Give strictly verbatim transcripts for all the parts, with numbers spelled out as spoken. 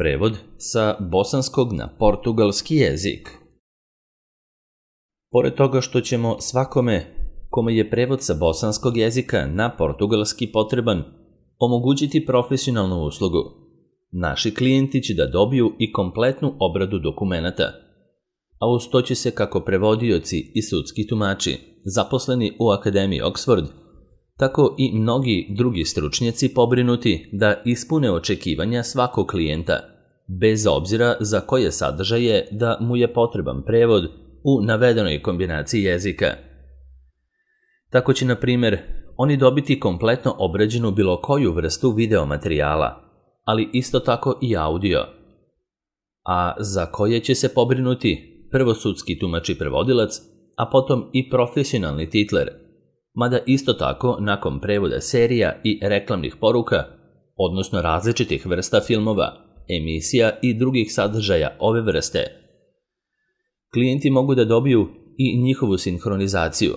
Prevod sa bosanskog na portugalski jezik. Pored toga što ćemo svakome kome je prevod sa bosanskog jezika na portugalski potreban omogućiti profesionalnu uslugu, naši klijenti će da dobiju i kompletnu obradu dokumenata, a uz to će se kako prevodioci i sudski tumači zaposleni u Akademiji Oxford, tako i mnogi drugi stručnjaci pobrinuti da ispune očekivanja svakog klijenta, bez obzira za koje sadržaje da mu je potreban prevod u navedenoj kombinaciji jezika. Tako će, na primjer, oni dobiti kompletno obrađenu bilo koju vrstu video materijala, ali isto tako i audio, a za koje će se pobrinuti prvo sudski tumač i prevodilac, a potom i profesionalni titler, mada isto tako nakon prevoda serija i reklamnih poruka, odnosno različitih vrsta filmova, emisija i drugih sadržaja ove vrste, klijenti mogu da dobiju i njihovu sinhronizaciju,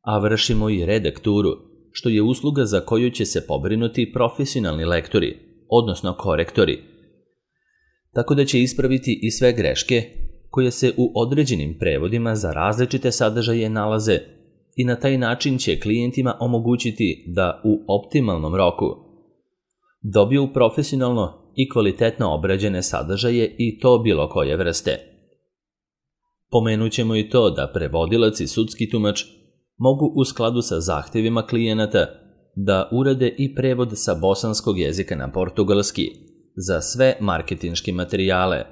a vršimo i redakturu, što je usluga za koju će se pobrinuti profesionalni lektori, odnosno korektori, tako da će ispraviti i sve greške koje se u određenim prevodima za različite sadržaje nalaze i na taj način će klijentima omogućiti da u optimalnom roku dobiju profesionalno i kvalitetno obrađene sadržaje i to bilo koje vrste. Pomenut ćemo i to da prevodilac i sudski tumač mogu u skladu sa zahtevima klijenata da urade i prevod sa bosanskog jezika na portugalski za sve marketinške materijale,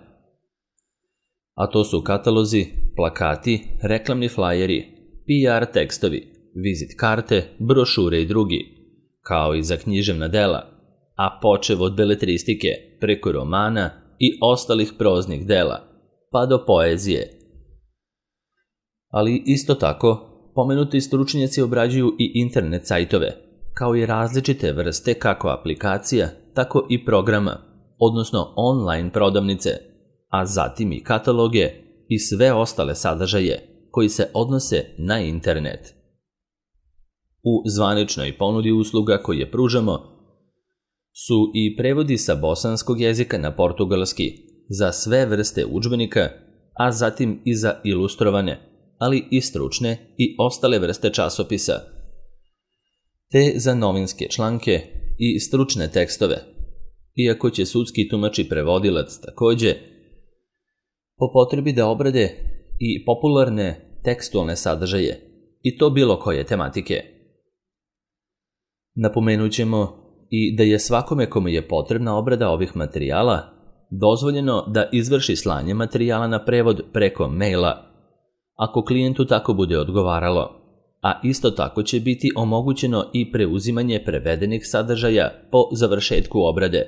a to su katalozi, plakati, reklamni flajeri, P R tekstovi, vizit karte, brošure i drugi, kao i za književna dela, a počev od beletristike preko romana i ostalih proznih dela, pa do poezije. Ali isto tako, pomenuti stručnjaci obrađuju i internet sajtove, kao i različite vrste kako aplikacija, tako i programa, odnosno online prodavnice, a zatim i kataloge i sve ostale sadržaje koji se odnose na internet. U zvaničnoj ponudi usluga koje pružamo su i prevodi sa bosanskog jezika na portugalski za sve vrste udžbenika, a zatim i za ilustrovane, ali i stručne i ostale vrste časopisa, te za novinske članke i stručne tekstove, iako će sudski tumač i prevodilac takođe po potrebi da obrade i popularne tekstualne sadržaje, i to bilo koje tematike. Napomenut ćemo i da je svakome kome je potrebna obrada ovih materijala dozvoljeno da izvrši slanje materijala na prevod preko maila, ako klijentu tako bude odgovaralo, a isto tako će biti omogućeno i preuzimanje prevedenih sadržaja po završetku obrade,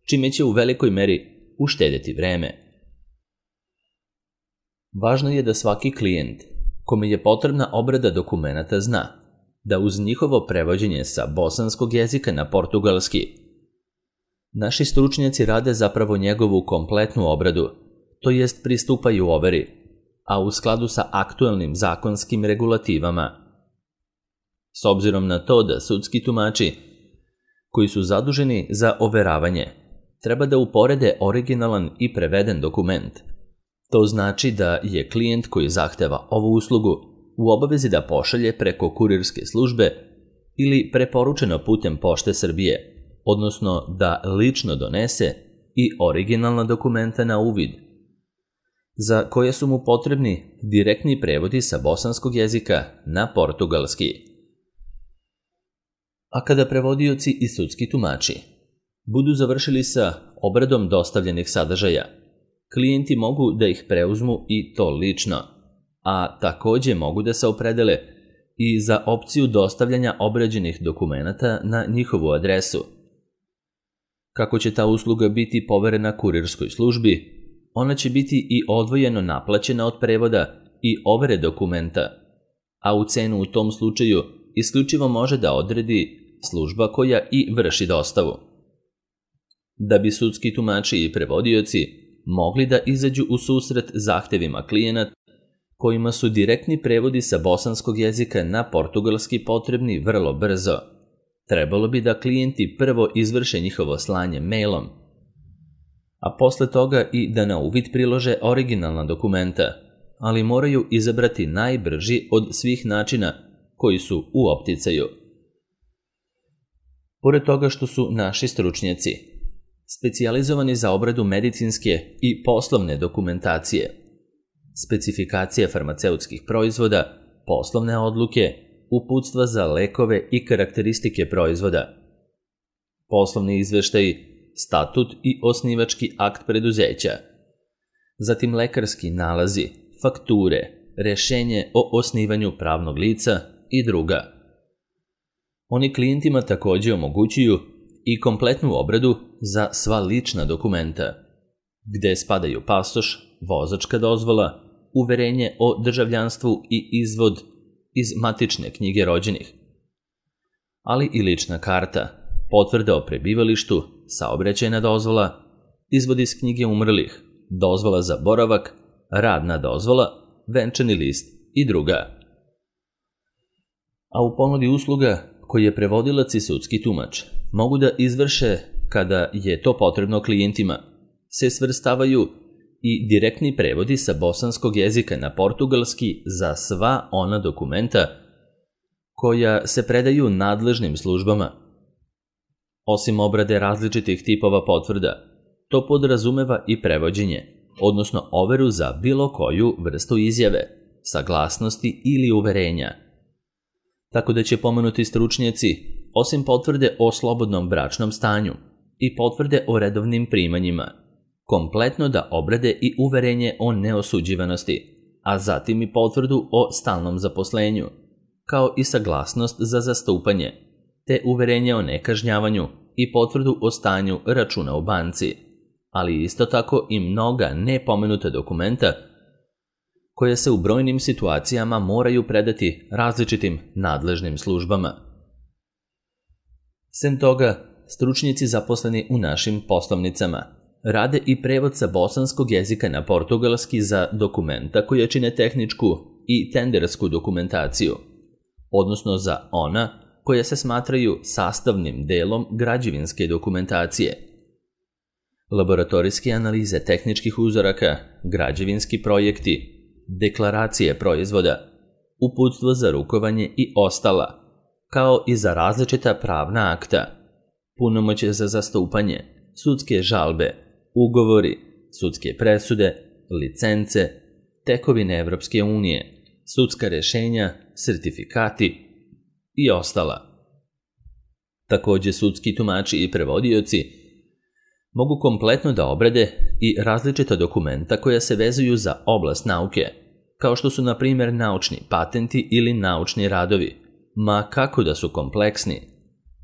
čime će u velikoj meri uštedjeti vreme. Važno je da svaki klijent kome je potrebna obrada dokumenata zna da uz njihovo prevođenje sa bosanskog jezika na portugalski, naši stručnjaci rade zapravo njegovu kompletnu obradu, to jest pristupaju overi, a u skladu sa aktuelnim zakonskim regulativama. S obzirom na to da sudski tumači, koji su zaduženi za overavanje, treba da uporede originalan i preveden dokument, to znači da je klijent koji zahteva ovu uslugu u obavezi da pošalje preko kurirske službe ili preporučeno putem Pošte Srbije, odnosno da lično donese i originalna dokumenta na uvid, za koje su mu potrebni direktni prevodi sa bosanskog jezika na portugalski. A kada prevodioci i sudski tumači budu završili sa obradom dostavljenih sadržaja, klijenti mogu da ih preuzmu i to lično, a takođe mogu da se opredele i za opciju dostavljanja obrađenih dokumenata na njihovu adresu. Kako će ta usluga biti poverena kurirskoj službi, ona će biti i odvojeno naplaćena od prevoda i overe dokumenta, a u cenu u tom slučaju isključivo može da odredi služba koja i vrši dostavu. Da bi sudski tumači i prevodioci mogli da izađu u susret zahtevima klijenata kojima su direktni prevodi sa bosanskog jezika na portugalski potrebni vrlo brzo, trebalo bi da klijenti prvo izvrše njihovo slanje mailom, a posle toga i da na uvid prilože originalna dokumenta, ali moraju izabrati najbrži od svih načina koji su u opticaju. Pored toga što su naši stručnjaci specijalizovani za obradu medicinske i poslovne dokumentacije, specifikacije farmaceutskih proizvoda, poslovne odluke, uputstva za lekove i karakteristike proizvoda, poslovni izveštaji, statut i osnivački akt preduzeća, zatim lekarski nalazi, fakture, rešenje o osnivanju pravnog lica i druga. Oni klijentima takođe omogućuju i kompletnu obradu za sva lična dokumenta, gde spadaju pasoš, vozačka dozvola, uverenje o državljanstvu i izvod iz matične knjige rođenih, ali i lična karta, potvrda o prebivalištu, saobraćajna dozvola, izvod iz knjige umrlih, dozvola za boravak, radna dozvola, venčani list i druga. A u ponudi usluga koje prevodilac i sudski tumač mogu da izvrše kada je to potrebno klijentima, se svrstavaju i direktni prevodi sa bosanskog jezika na portugalski za sva ona dokumenta koja se predaju nadležnim službama. Osim obrade različitih tipova potvrda, to podrazumeva i prevođenje, odnosno overu za bilo koju vrstu izjave, saglasnosti ili uverenja. Tako da će pomenuti stručnjaci, osim potvrde o slobodnom bračnom stanju i potvrde o redovnim primanjima, kompletno da obrade i uverenje o neosuđivanosti, a zatim i potvrdu o stalnom zaposlenju, kao i saglasnost za zastupanje, te uverenje o nekažnjavanju i potvrdu o stanju računa u banci, ali isto tako i mnoga nepomenuta dokumenta koje se u brojnim situacijama moraju predati različitim nadležnim službama. Sem toga, stručnjaci zaposleni u našim poslovnicama rade i prevod sa bosanskog jezika na portugalski za dokumenta koje čine tehničku i tendersku dokumentaciju, odnosno za ona koja se smatraju sastavnim delom građevinske dokumentacije. Laboratorijske analize tehničkih uzoraka, građevinski projekti, deklaracije proizvoda, uputstvo za rukovanje i ostala, kao i za različita pravna akta, punomoćje za zastupanje, sudske žalbe, ugovori, sudske presude, licence, tekovine Evropske unije, sudska rešenja, sertifikati i ostala. Takođe, sudski tumači i prevodioci mogu kompletno da obrade i različita dokumenta koja se vezuju za oblast nauke, kao što su, na primjer, naučni patenti ili naučni radovi, ma kako da su kompleksni,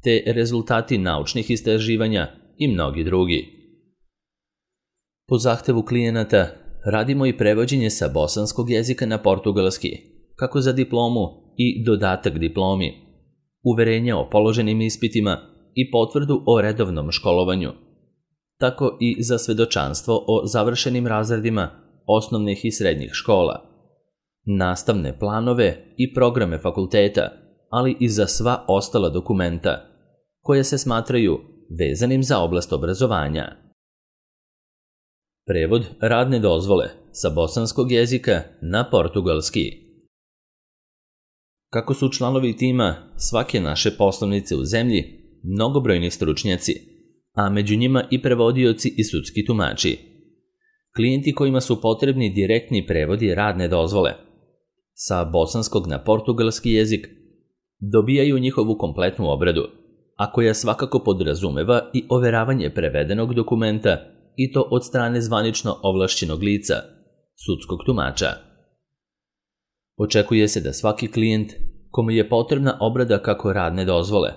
te rezultati naučnih istraživanja i mnogi drugi. Po zahtevu klijenata radimo i prevođenje sa bosanskog jezika na portugalski, kako za diplomu i dodatak diplomi, uverenje o položenim ispitima i potvrdu o redovnom školovanju, tako i za svedočanstvo o završenim razredima osnovnih i srednjih škola, nastavne planove i programe fakulteta, ali i za sva ostala dokumenta koje se smatraju vezanim za oblast obrazovanja. Prevod radne dozvole sa bosanskog jezika na portugalski. Kako su članovi tima svake naše poslovnice u zemlji mnogobrojni stručnjaci, a među njima i prevodioci i sudski tumači, klijenti kojima su potrebni direktni prevodi radne dozvole sa bosanskog na portugalski jezik dobijaju njihovu kompletnu obradu, a koja svakako podrazumeva i overavanje prevedenog dokumenta i to od strane zvanično ovlašćenog lica, sudskog tumača. Očekuje se da svaki klijent kome je potrebna obrada kako radne dozvole,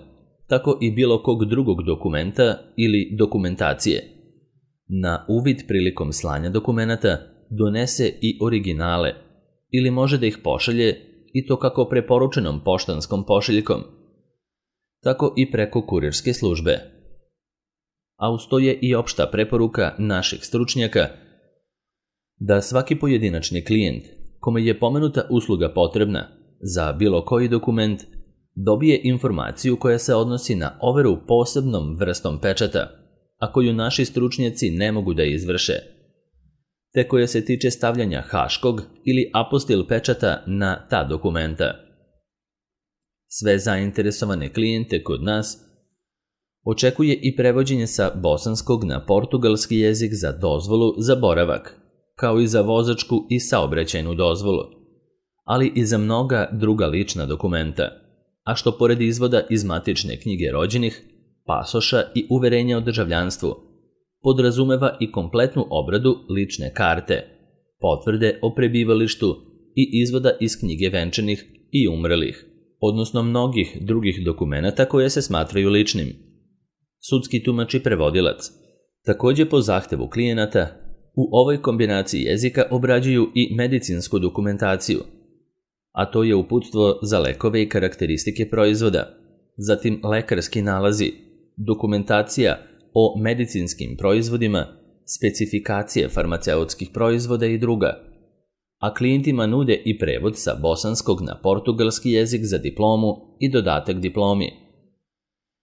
tako i bilo kog drugog dokumenta ili dokumentacije, na uvid prilikom slanja dokumenata donese i originale ili može da ih pošalje i to kako preporučenom poštanskom pošiljkom, tako i preko kurirske službe. A uz to je i opšta preporuka naših stručnjaka da svaki pojedinačni klijent kome je pomenuta usluga potrebna za bilo koji dokument dobije informaciju koja se odnosi na overu posebnom vrstom pečata, a koju naši stručnjaci ne mogu da izvrše, te koja se tiče stavljanja haškog ili apostil pečata na ta dokumenta. Sve zainteresovane klijente kod nas očekuje i prevođenje sa bosanskog na portugalski jezik za dozvolu za boravak, kao i za vozačku i saobraćajnu dozvolu, ali i za mnoga druga lična dokumenta, a što pored izvoda iz matične knjige rođenih, pasoša i uverenja o državljanstvu, podrazumeva i kompletnu obradu lične karte, potvrde o prebivalištu i izvoda iz knjige venčanih i umrlih, odnosno mnogih drugih dokumenata koje se smatraju ličnim. Sudski tumač i prevodilac također po zahtevu klijenata u ovoj kombinaciji jezika obrađuju i medicinsku dokumentaciju, a to je uputstvo za lekove i karakteristike proizvoda, zatim lekarski nalazi, dokumentacija o medicinskim proizvodima, specifikacije farmaceutskih proizvoda i druga, a klijentima nude i prevod sa bosanskog na portugalski jezik za diplomu i dodatak diplomi,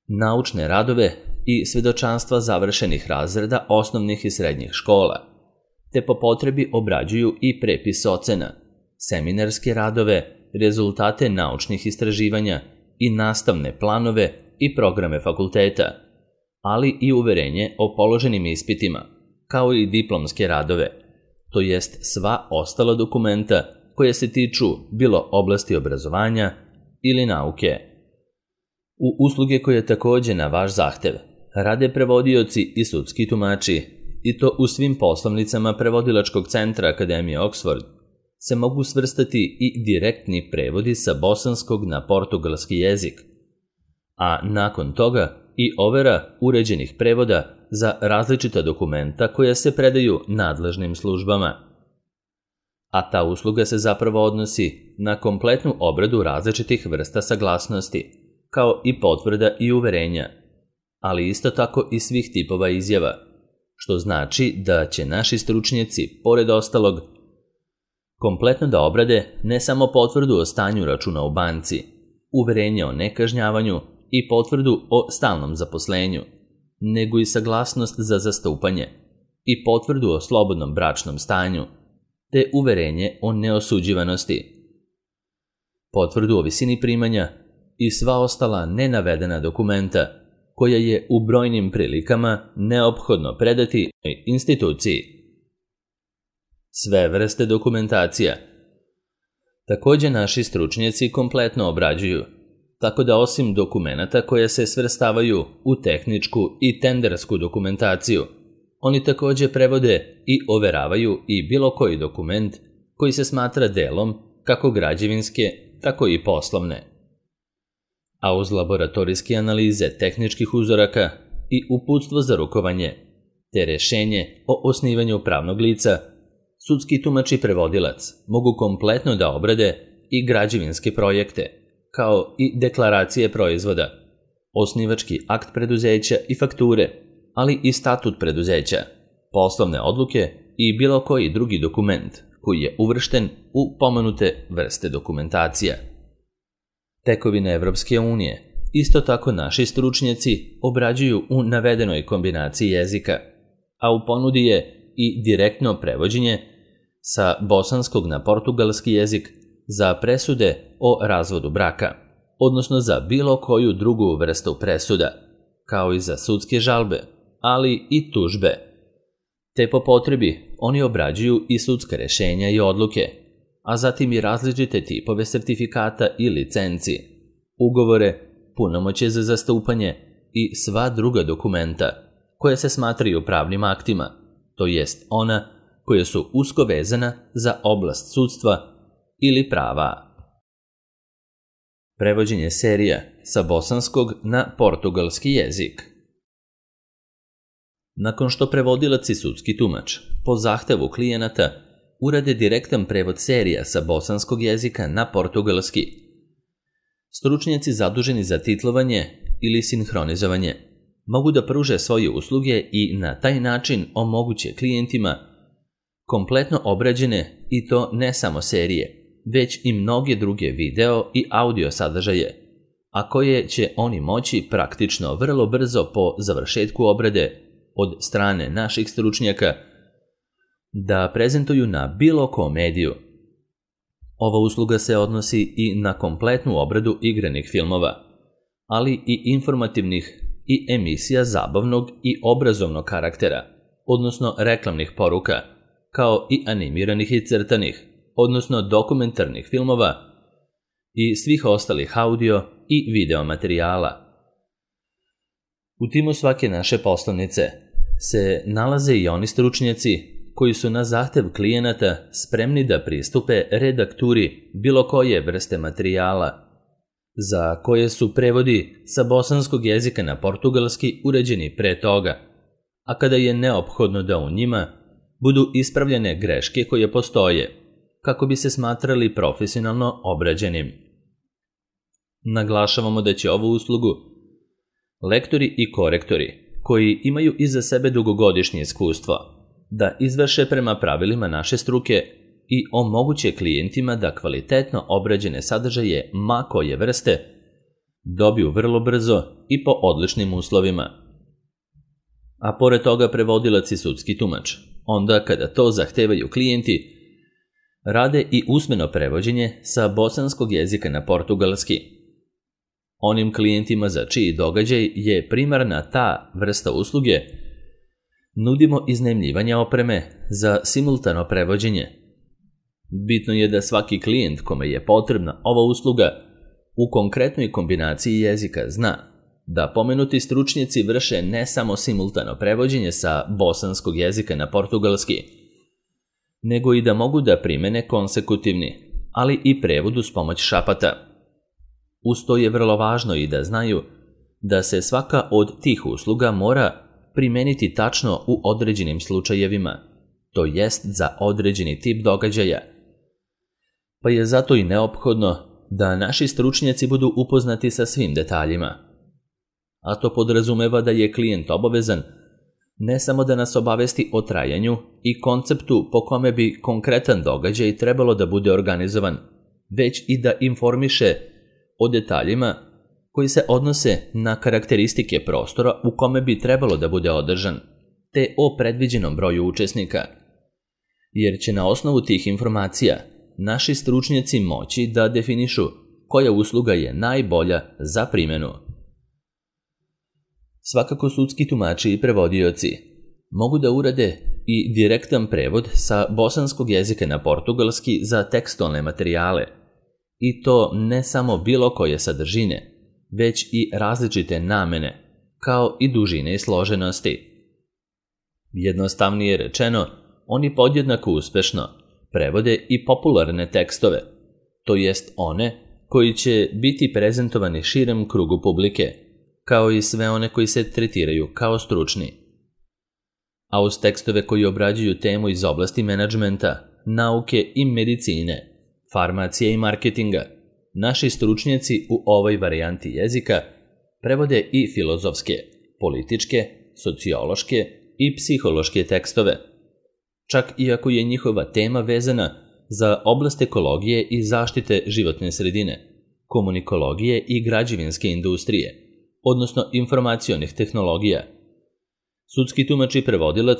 naučne radove i svjedočanstva završenih razreda osnovnih i srednjih škola, te po potrebi obrađuju i prepis ocena, seminarske radove, rezultate naučnih istraživanja i nastavne planove i programe fakulteta, ali i uverenje o položenim ispitima, kao i diplomske radove, to jest sva ostala dokumenta koje se tiču bilo oblasti obrazovanja ili nauke. U usluge koje također na vaš zahtev rade prevodioci i sudski tumači, i to u svim poslovnicama prevodilačkog centra Akademije Oxford, se mogu svrstati i direktni prevodi sa bosanskog na portugalski jezik, a nakon toga i overa uređenih prevoda za različita dokumenta koja se predaju nadležnim službama. A ta usluga se zapravo odnosi na kompletnu obradu različitih vrsta saglasnosti, kao i potvrda i uverenja, ali isto tako i svih tipova izjava, što znači da će naši stručnjaci, pored ostalog, kompletno da obrade ne samo potvrdu o stanju računa u banci, uverenje o nekažnjavanju i potvrdu o stalnom zaposlenju, nego i saglasnost za zastupanje i potvrdu o slobodnom bračnom stanju, te uverenje o neosuđivanosti, potvrdu o visini primanja i sva ostala nenavedena dokumenta koja je u brojnim prilikama neophodno predati instituciji. Sve vrste dokumentacija također naši stručnjaci kompletno obrađuju, tako da osim dokumenata koje se svrstavaju u tehničku i tendersku dokumentaciju, oni također prevode i overavaju i bilo koji dokument koji se smatra delom kako građevinske, tako i poslovne. A uz laboratorijske analize tehničkih uzoraka i uputstvo za rukovanje, te rješenje o osnivanju pravnog lica, sudski tumač i prevodilac mogu kompletno da obrade i građevinske projekte, kao i deklaracije proizvoda, osnivački akt preduzeća i fakture, ali i statut preduzeća, poslovne odluke i bilo koji drugi dokument koji je uvršten u pomenute vrste dokumentacija. Tekovine Evropske unije isto tako naši stručnjaci obrađuju u navedenoj kombinaciji jezika, a u ponudi je i direktno prevođenje sa bosanskog na portugalski jezik za presude o razvodu braka, odnosno za bilo koju drugu vrstu presuda, kao i za sudske žalbe, ali i tužbe. Te po potrebi oni obrađuju i sudska rješenja i odluke, a zatim i različite tipove sertifikata i licenci, ugovore, punomoćje za zastupanje i sva druga dokumenta koje se smatraju pravnim aktima, to jest ona koje su usko vezana za oblast sudstva ili prava. Prevođenje serija sa bosanskog na portugalski jezik. Nakon što prevodilac i sudski tumač po zahtevu klijenata urade direktan prevod serija sa bosanskog jezika na portugalski, stručnjaci zaduženi za titlovanje ili sinhronizovanje mogu da pruže svoje usluge i na taj način omoguće klijentima kompletno obrađene i to ne samo serije, već i mnoge druge video i audio sadržaje, a koje će oni moći praktično vrlo brzo po završetku obrade od strane naših stručnjaka da prezentuju na bilo kom mediju. Ova usluga se odnosi i na kompletnu obradu igranih filmova, ali i informativnih i emisija zabavnog i obrazovnog karaktera, odnosno reklamnih poruka, kao i animiranih i crtanih, odnosno dokumentarnih filmova i svih ostalih audio i video materijala. U timu svake naše poslanice se nalaze i oni stručnjaci koji su na zahtev klijenata spremni da pristupe redakturi bilo koje vrste materijala, za koje su prevodi sa bosanskog jezika na portugalski uređeni pre toga, a kada je neophodno da u njima budu ispravljene greške koje postoje, kako bi se smatrali profesionalno obrađenim. Naglašavamo da će ovu uslugu lektori i korektori, koji imaju iza sebe dugogodišnje iskustvo, da izvrše prema pravilima naše struke i omoguće klijentima da kvalitetno obrađene sadržaje ma koje vrste dobiju vrlo brzo i po odličnim uslovima. A pored toga prevodilac i sudski tumač, onda kada to zahtevaju klijenti, rade i usmeno prevođenje sa bosanskog jezika na portugalski. Onim klijentima za čiji događaj je primarna ta vrsta usluge, nudimo iznajmljivanje opreme za simultano prevođenje. Bitno je da svaki klijent kome je potrebna ova usluga u konkretnoj kombinaciji jezika zna da pomenuti stručnjaci vrše ne samo simultano prevođenje sa bosanskog jezika na portugalski, nego i da mogu da primene konsekutivni, ali i prevod uz pomoć šapata. Uz to je vrlo važno i da znaju da se svaka od tih usluga mora primeniti tačno u određenim slučajevima, to jest za određeni tip događaja. Pa je zato i neophodno da naši stručnjaci budu upoznati sa svim detaljima. A to podrazumeva da je klijent obavezan ne samo da nas obavesti o trajanju i konceptu po kome bi konkretan događaj trebalo da bude organizovan, već i da informiše o detaljima koji se odnose na karakteristike prostora u kome bi trebalo da bude održan, te o predviđenom broju učesnika, jer će na osnovu tih informacija naši stručnjaci moći da definišu koja usluga je najbolja za primjenu. Svakako sudski tumači i prevodioci mogu da urade i direktan prevod sa bosanskog jezika na portugalski za tekstualne materijale, i to ne samo bilo koje sadržine, već i različite namene, kao i dužine i složenosti. Jednostavnije rečeno, oni podjednako uspešno prevode i popularne tekstove, to jest one koji će biti prezentovani širem krugu publike, kao i sve one koji se tretiraju kao stručni. A uz tekstove koji obrađuju temu iz oblasti menadžmenta, nauke i medicine, farmacije i marketinga, naši stručnjaci u ovoj varijanti jezika prevode i filozofske, političke, sociološke i psihološke tekstove, čak i ako je njihova tema vezana za oblast ekologije i zaštite životne sredine, komunikologije i građevinske industrije, odnosno informacionih tehnologija. Sudski tumač i prevodilac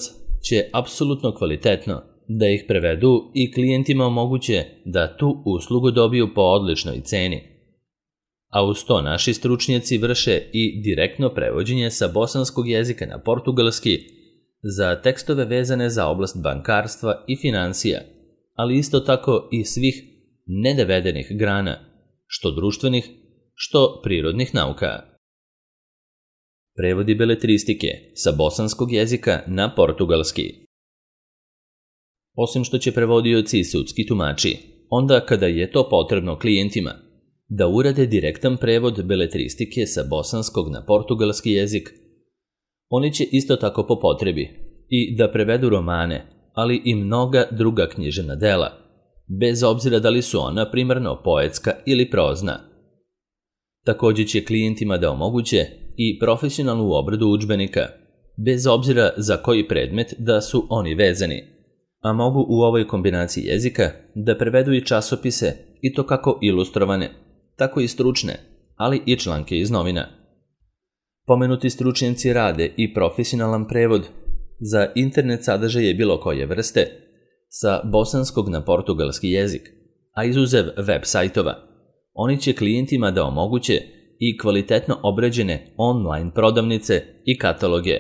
će apsolutno kvalitetno da ih prevedu i klijentima omoguće da tu uslugu dobiju po odličnoj ceni. A uz to naši stručnjaci vrše i direktno prevođenje sa bosanskog jezika na portugalski za tekstove vezane za oblast bankarstva i financija, ali isto tako i svih nedevedenih grana, što društvenih, što prirodnih nauka. Prevodi beletristike sa bosanskog jezika na portugalski. Osim što će prevodioci i sudski tumači, onda kada je to potrebno klijentima, da urade direktan prevod beletristike sa bosanskog na portugalski jezik, oni će isto tako po potrebi i da prevedu romane, ali i mnoga druga književna dela, bez obzira da li su ona primarno poetska ili prozna. Također će klijentima da omoguće i profesionalnu obradu udžbenika, bez obzira za koji predmet da su oni vezani, a mogu u ovoj kombinaciji jezika da prevedu i časopise, i to kako ilustrovane, tako i stručne, ali i članke iz novina. Pomenuti stručnjaci rade i profesionalan prevod za internet sadržaje bilo koje vrste sa bosanskog na portugalski jezik, a izuzev web sajtova, oni će klijentima da omoguće i kvalitetno obrađene online prodavnice i kataloge,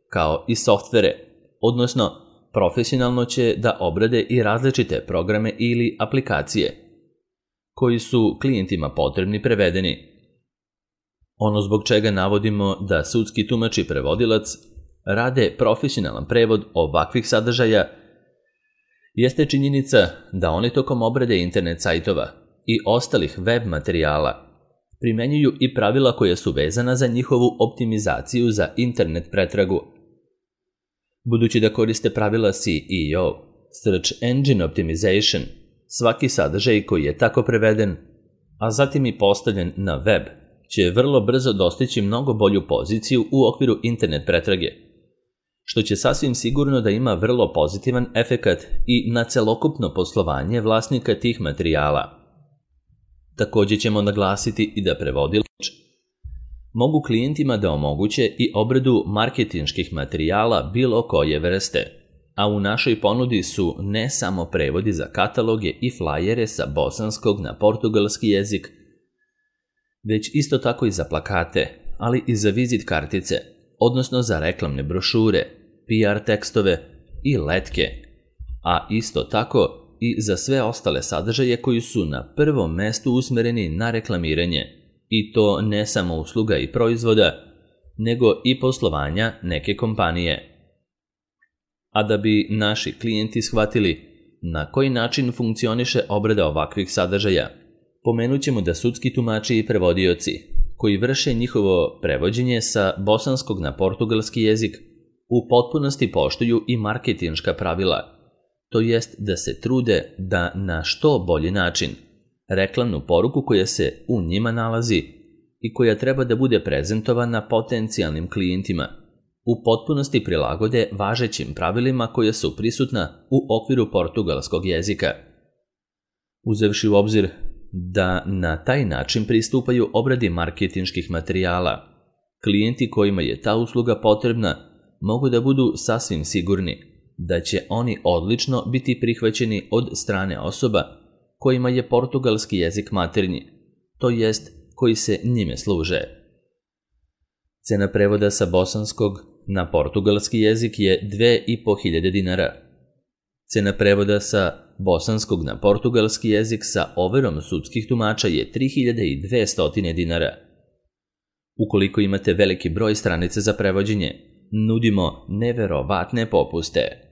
kao i softvere, odnosno profesionalno će da obrade i različite programe ili aplikacije koji su klijentima potrebni prevedeni. Ono zbog čega navodimo da sudski tumač i prevodilac rade profesionalan prevod ovakvih sadržaja jeste činjenica da oni tokom obrade internet sajtova i ostalih web materijala primenjuju i pravila koja su vezana za njihovu optimizaciju za internet pretragu. Budući da koriste pravila S E O, Search Engine Optimization, svaki sadržaj koji je tako preveden, a zatim i postavljen na web, će vrlo brzo dostići mnogo bolju poziciju u okviru internet pretrage, što će sasvim sigurno da ima vrlo pozitivan efekat i na celokupno poslovanje vlasnika tih materijala. Također ćemo naglasiti i da prevodilač mogu klijentima da omoguće i obradu marketinških materijala bilo koje vrste, a u našoj ponudi su ne samo prevodi za kataloge i flajere sa bosanskog na portugalski jezik, već isto tako i za plakate, ali i za vizit kartice, odnosno za reklamne brošure, P R tekstove i letke, a isto tako i za sve ostale sadržaje koji su na prvom mestu usmereni na reklamiranje, i to ne samo usluga i proizvoda, nego i poslovanja neke kompanije. A da bi naši klijenti shvatili na koji način funkcioniše obrada ovakvih sadržaja, pomenut ćemo da sudski tumači i prevodioci, koji vrše njihovo prevođenje sa bosanskog na portugalski jezik, u potpunosti poštuju i marketinška pravila, to jest da se trude da na što bolji način reklamnu poruku koja se u njima nalazi i koja treba da bude prezentovana potencijalnim klijentima, u potpunosti prilagode važećim pravilima koja su prisutna u okviru portugalskog jezika. Uzevši u obzir da na taj način pristupaju obradi marketinških materijala, klijenti kojima je ta usluga potrebna mogu da budu sasvim sigurni da će oni odlično biti prihvaćeni od strane osoba kojima je portugalski jezik maternji, to jest koji se njime služe. Cena prevoda sa bosanskog na portugalski jezik je dve i po hiljade dinara. Cena prevoda sa bosanskog na portugalski jezik sa overom sudskih tumača je tri hiljade dvesta dinara. Ukoliko imate veliki broj stranice za prevođenje, nudimo neverovatne popuste.